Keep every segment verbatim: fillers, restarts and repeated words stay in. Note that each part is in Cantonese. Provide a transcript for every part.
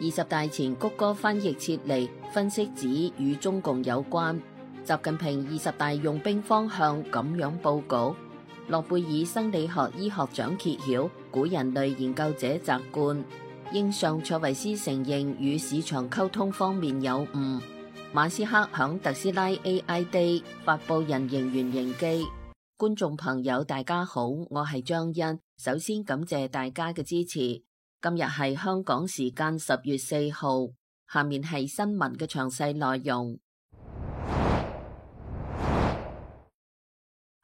二十大前谷歌翻譯撤離，分析指與中共有關。習近平二十大用兵方向咁樣報告。諾貝爾生理學醫學獎揭曉，古人類研究者摘冠。英相卓維斯承認與市場溝通方面有誤。馬斯克響特斯拉 A I Day 發布人形原型機。觀眾朋友大家好，我係張欣，首先感謝大家嘅支持。今日係香港時間十月四號，下面係新聞嘅詳細內容。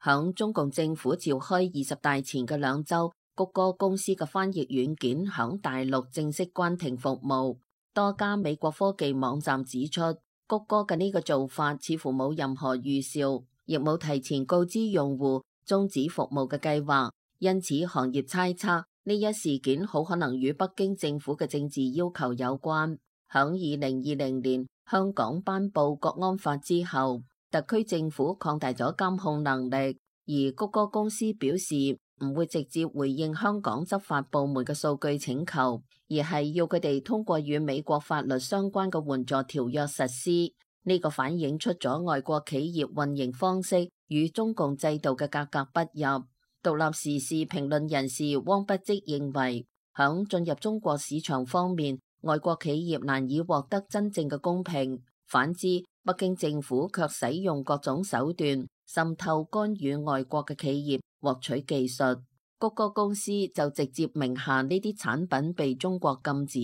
響中共政府召開二十大前嘅兩週，谷歌公司嘅翻譯軟件響大陸正式關停服務。多家美國科技網站指出，谷歌嘅呢個做法似乎冇任何預兆，亦冇提前告知用戶終止服務嘅計劃，因此行業猜測呢一事件好可能與北京政府嘅政治要求有關。響二零二零年香港頒布國安法之後，特區政府擴大咗監控能力，而谷歌公司表示唔會直接回應香港執法部門嘅數據請求，而係要佢哋通過與美國法律相關嘅援助條約實施。呢個反映出咗外國企業運營方式與中共制度嘅格格不入。獨立時事評論人士汪不積認為，響進入中國市場方面，外國企業難以獲得真正嘅公平。反之，北京政府卻使用各種手段滲透干預外國嘅企業獲取技術。谷歌公司就直接名下呢啲產品被中國禁止，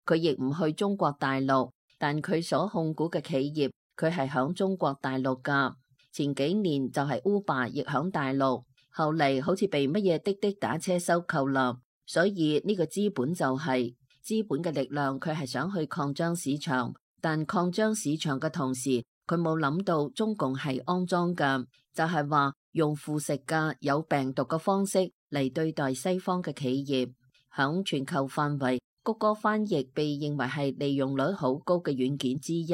佢亦唔去中國大陸，但佢所控股嘅企業佢係響中國大陸㗎。前幾年就係 Uber 亦響大陸，後嚟好似被乜嘢滴滴打車收購啦。所以呢個資本就係、是、資本嘅力量，佢係想去擴張市場。但擴張市場嘅同時，佢冇諗到中共係骯髒嘅，就係話用腐蝕嘅有病毒嘅方式嚟對待西方嘅企業。響全球範圍，谷歌翻譯被認為係利用率好高嘅軟件之一。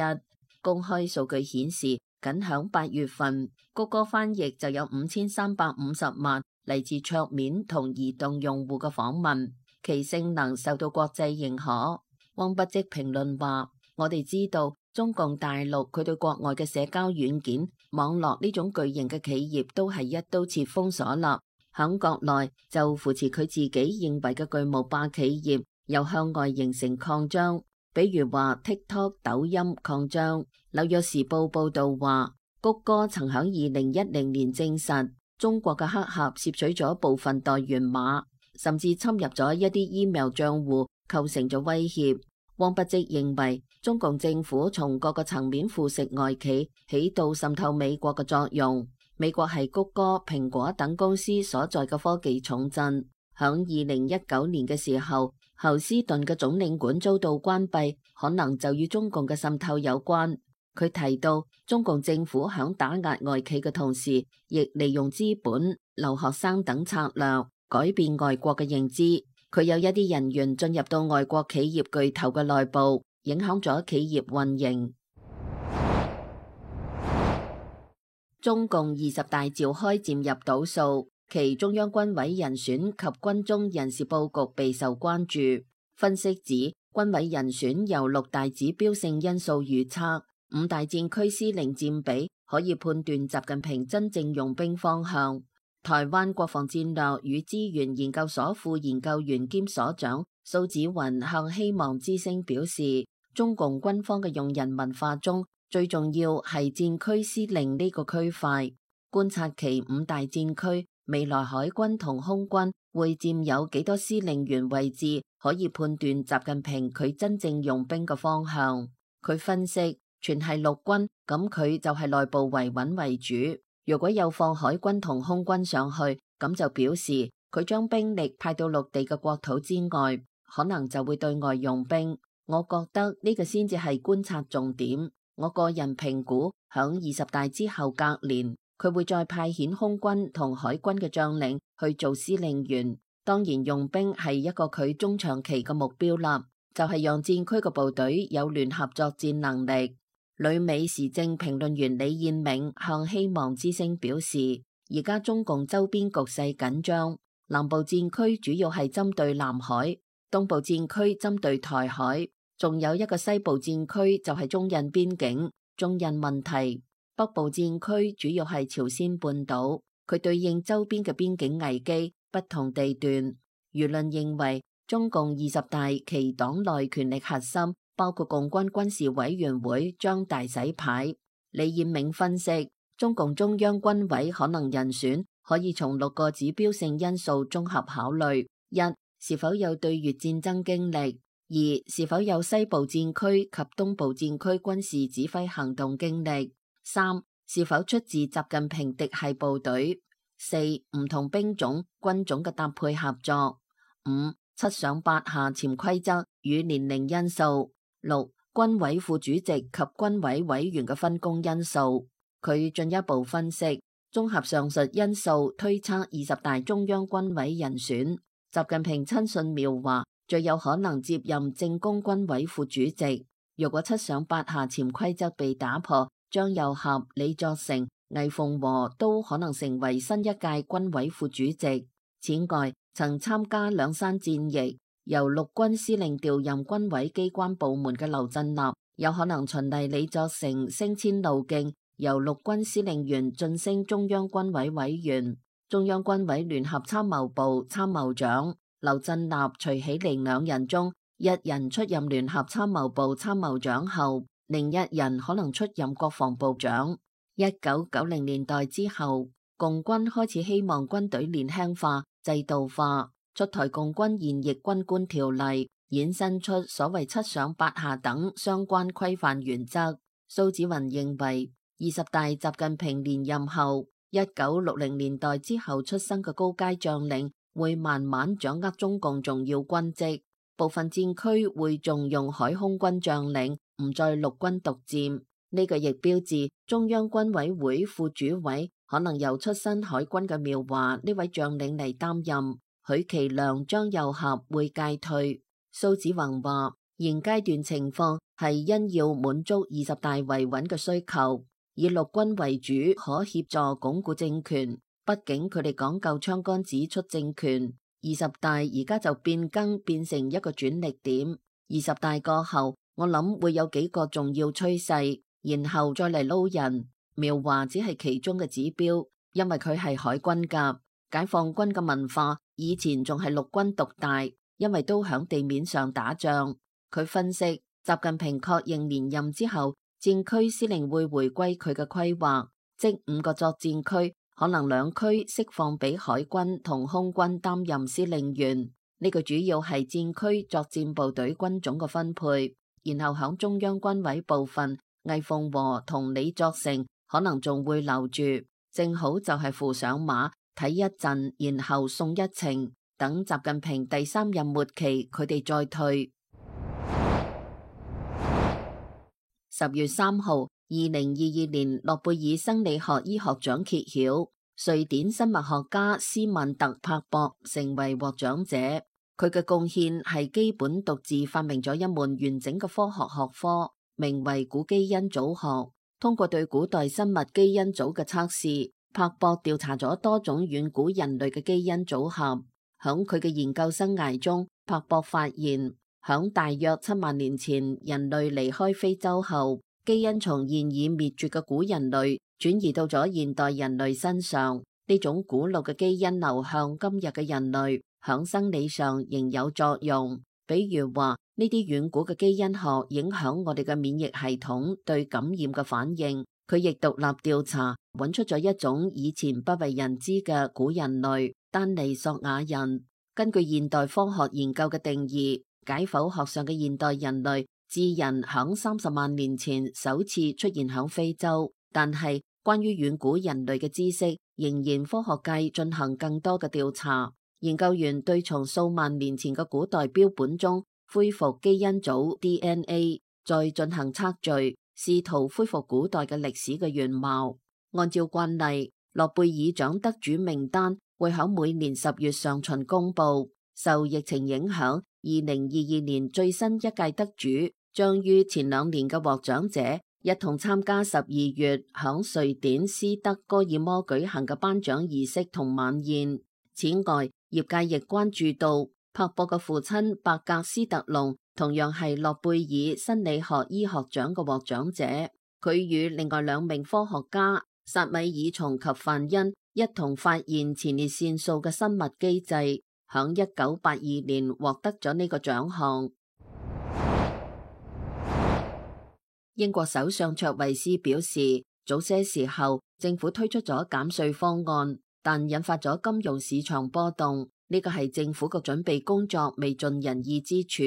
公開數據顯示，僅響八月份，谷歌翻譯就有五千三百五十萬嚟自桌面同移動用戶嘅訪問，其性能受到國際認可。汪不積評論話，我哋知道中共大陸佢對國外嘅社交軟件網絡呢種巨型嘅企業都係一刀切封鎖啦，響國內就扶持佢自己認為嘅巨無霸企業，又向外形成擴張，比如話 TikTok、抖音擴張。紐約時報報道話，谷歌曾響二零一零年證實中國嘅黑客竊取咗部分代源碼，甚至侵入咗一啲 email 賬戶，構成咗威脅。汪不積認為，中共政府從各個層面腐蝕外企，起到滲透美國嘅作用。美國係谷歌、蘋果等公司所在嘅科技重鎮。響二零一九年嘅時候，侯斯頓嘅總領館遭到關閉，可能就與中共嘅滲透有關。佢提到，中共政府響打壓外企嘅同時，亦利用資本、留學生等策略，改變外國嘅認知。佢有一啲人員進入到外國企業巨頭嘅內部，影響咗企業運營。中共二十大召開漸入倒數，其中央軍委人選及軍中人事佈局備受關注。分析指，軍委人選由六大指標性因素預測，五大戰區司令佔比可以判斷習近平真正用兵方向。台灣國防戰略與資源研究所副研究員兼所長蘇紫雲向希望之聲表示，中共軍方嘅用人文化中最重要係戰區司令呢個區塊。觀察其五大戰區，未來海軍同空軍會佔有幾多司令員位置，可以判斷習近平佢真正用兵嘅方向。佢分析，全係陸軍，咁佢就係內部維穩為主。如果有放海軍同空軍上去，咁就表示佢將兵力派到陸地嘅國土之外，可能就會對外用兵。我覺得呢個先至係觀察重點。我個人評估，響二十大之後隔年，佢會再派遣空軍同海軍嘅將領去做司令員。當然用兵係一個佢中長期嘅目標啦，就係讓戰區嘅部隊有聯合作戰能力。旅美時政評論員李燕銘向希望之聲表示，而家中共周邊局勢緊張，南部戰區主要係針對南海，東部戰區針對台海，仲有一個西部戰區就係中印邊境。中印問題，北部戰區主要係朝鮮半島，佢對應周邊嘅邊境危機，不同地段。輿論認為中共二十大其黨內權力核心，包括共軍軍事委員會將大洗牌。李彥銘分析，中共中央軍委可能人選可以從六個指標性因素綜合考慮：一、是否有對越戰爭經歷；二、是否有西部戰區及東部戰區軍事指揮行動經歷；三、是否出自習近平嫡系部隊；四、唔同兵種軍種嘅搭配合作；五、七上八下潛規則與年齡因素；六、軍委副主席及軍委委員嘅分工因素。佢進一步分析，綜合上述因素推測二十大中央軍委人選，習近平親信苗華最有可能接任政工軍委副主席。如果七上八下潛規則被打破，張又俠、李作成、魏鳳和都可能成為新一屆軍委副主席。此外，曾參加兩山戰役，由陸軍司令調任軍委機關部門嘅劉振立，有可能循例李作成升遷路徑，由陸軍司令員晉升中央軍委委員、中央軍委聯合參謀部參謀長。劉振立、徐喜玲兩人中，一人出任聯合參謀部參謀長後，另一人可能出任國防部長。一九九零年代之後，共軍開始希望軍隊年輕化、制度化，出台共軍現役軍官條例，衍生出所謂七上八下等相關規範原則。蘇紫雲認為，二十大習近平連任後，一九六零年代之後出生嘅高階將領會慢慢掌握中共重要軍職，部分戰區會重用海空軍將領，唔再陸軍獨佔。呢個亦標誌中央軍委會副主委可能由出身海軍嘅苗華呢位將領嚟擔任，許其亮、張又俠會屆退。蘇紫雲話，現階段情況係因要滿足二十大維穩嘅需求，以陸軍為主，可協助鞏固政權。畢竟佢哋講究槍桿子出政權，二十大而家就變更變成一個轉捩點。二十大過後，我諗會有幾個重要趨勢，然後再嚟撈人。苗華只係其中嘅指標，因為佢係海軍㗎。解放軍嘅文化以前仲係陸軍獨大，因為都響地面上打仗。佢分析，習近平確認連任之後，戰區司令會回歸佢嘅規劃，即五個作戰區。可能兩區釋放俾海軍同空軍擔任司令員，呢個主要係戰區作戰部隊軍種嘅分配。然後響中央軍委部分，魏鳳和同李作成可能仲會留住，正好就係扶上馬睇一陣，然後送一程，等習近平第三任末期佢哋再退。十月三號。二零二二年諾貝爾生理學醫學獎揭曉，瑞典生物學家斯曼特柏博成為獲獎者。佢嘅貢獻係基本獨自發明咗一門完整嘅科學學科，名為古基因組學。通過對古代生物基因組嘅測試，柏博調查咗多種遠古人類嘅基因組合。響佢嘅研究生涯中，柏博發現響大約七萬年前人類離開非洲後，基因從現已滅絕嘅古人類轉移到咗現代人類身上，呢種古老嘅基因流向今日嘅人類，響生理上仍有作用。比如話，呢啲遠古嘅基因學影響我哋嘅免疫系統對感染嘅反應。佢亦獨立調查，揾出咗一種以前不為人知嘅古人類——丹尼索瓦人。根據現代科學研究嘅定義，解剖學上嘅現代人類智人響三十萬年前首次出現響非洲，但係關於遠古人類嘅知識，仍然科學界進行更多嘅調查。研究員對從數萬年前嘅古代標本中恢復基因組 D N A， 再進行測序，試圖恢復古代嘅歷史嘅原貌。按照慣例，諾貝爾獎得主名單會響每年十月上旬公布。受疫情影響，二零二二年最新一屆得主將於前兩年嘅獲獎者一同參加十二月響瑞典斯德哥爾摩舉行嘅頒獎儀式同晚宴。此外，業界亦關注到柏博嘅父親伯格斯特隆同樣係諾貝爾生理學醫學獎嘅獲獎者。佢與另外兩名科學家薩米爾松及范恩一同發現前列腺素嘅生物機制，響一九八二年獲得咗呢個獎項。英國首相卓慧思表示，早些時候政府推出咗減稅方案，但引發咗金融市場波動，呢個係政府嘅準備工作未盡人意之處。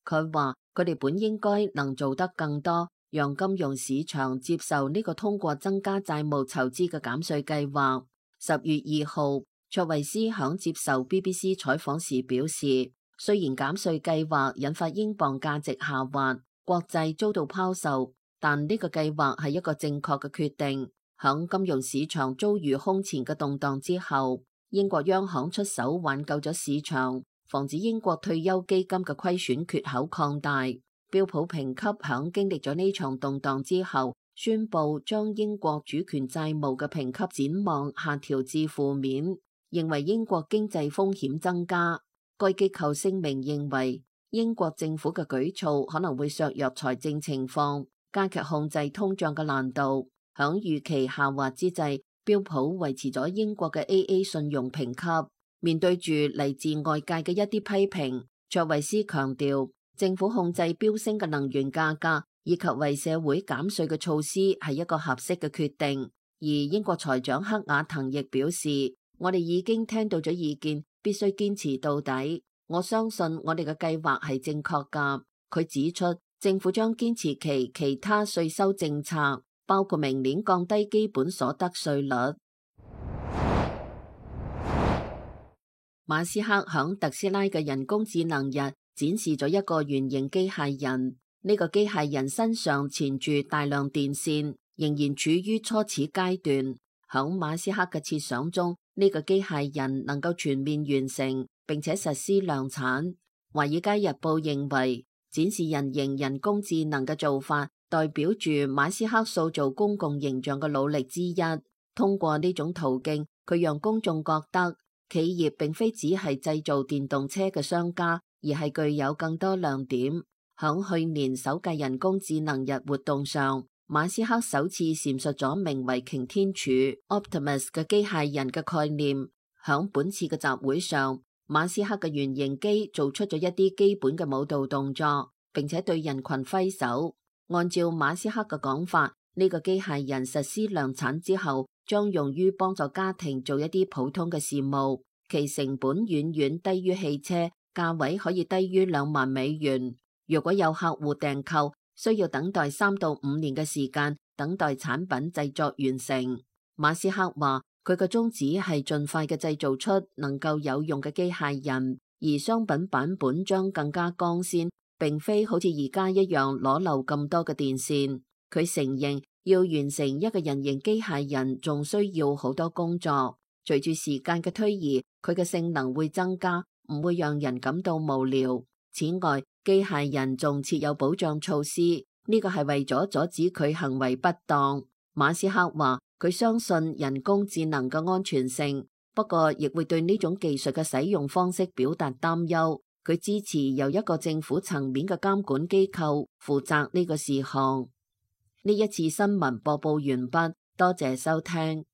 佢話佢哋本應該能做得更多，讓金融市場接受呢個通過增加債務籌資嘅減稅計劃。十月二號，卓慧思響接受 B B C 採訪時表示，雖然減稅計劃引發英鎊價值下滑，國債遭到拋售，但呢個計劃係一個正確嘅決定。響金融市場遭遇空前嘅動盪之後，英國央行出手挽救咗市場，防止英國退休基金嘅虧損缺口擴大。標普評級響經歷咗呢場動盪之後，宣布將英國主權債務嘅評級展望下調至負面，認為英國經濟風險增加。該機構聲明認為，英國政府嘅舉措可能會削弱財政情況，加劇控制通脹嘅難度。響預期下滑之際，標普維持咗英國嘅 A A 信用評級。面對住嚟自外界嘅一啲批評，卓慧思強調，政府控制飆升嘅能源價格以及為社會減稅嘅措施係一個合適嘅決定。而英國財長克雅騰亦表示，我哋已經聽到咗意見，必須堅持到底。我相信我哋嘅計劃係正確㗎。佢指出，政府將堅持其其他稅收政策，包括明年降低基本所得稅率。馬斯克響特斯拉嘅人工智能日展示咗一個圓形機械人，呢個機械人身上纏住大量電線，仍然處於初始階段。響馬斯克嘅設想中，呢個機械人能夠全面完成並且實施量產。華爾街日報認為，展示人形人工智能嘅做法代表住馬斯克塑造公共形象嘅努力之一。通過呢種途徑，佢讓公眾覺得企業並非只係製造電動車嘅商家，而係具有更多亮點。響去年首屆人工智能日活動上，馬斯克首次闡述咗名為擎天柱 Optimus 嘅機械人嘅概念。響本次嘅集會上，馬斯克嘅原型機做出咗一啲基本嘅舞蹈動作，並且對人群揮手。按照馬斯克嘅講法，呢個機械人實施量產之後，將用於幫助家庭做一啲普通嘅事務，其成本遠遠低於汽車，價位可以低於兩萬美元。如果有客戶訂購，需要等待三到五年嘅時間，等待產品製作完成。馬斯克話，佢嘅宗旨係盡快嘅製造出能夠有用嘅機械人，而商品版本將更加光鮮，並非好似而家一樣裸露咁多嘅電線。佢承認要完成一個人形機械人仲需要好多工作。隨住時間嘅推移，佢嘅性能會增加，唔會讓人感到無聊。此外，機械人仲設有保障措施，呢個係為咗阻止佢行為不當。馬斯克話，佢相信人工智能嘅安全性，不過亦會對呢種技術嘅使用方式表達擔憂。佢支持由一個政府層面嘅監管機構負責呢個事項。呢一次新聞播報完畢，多謝收聽。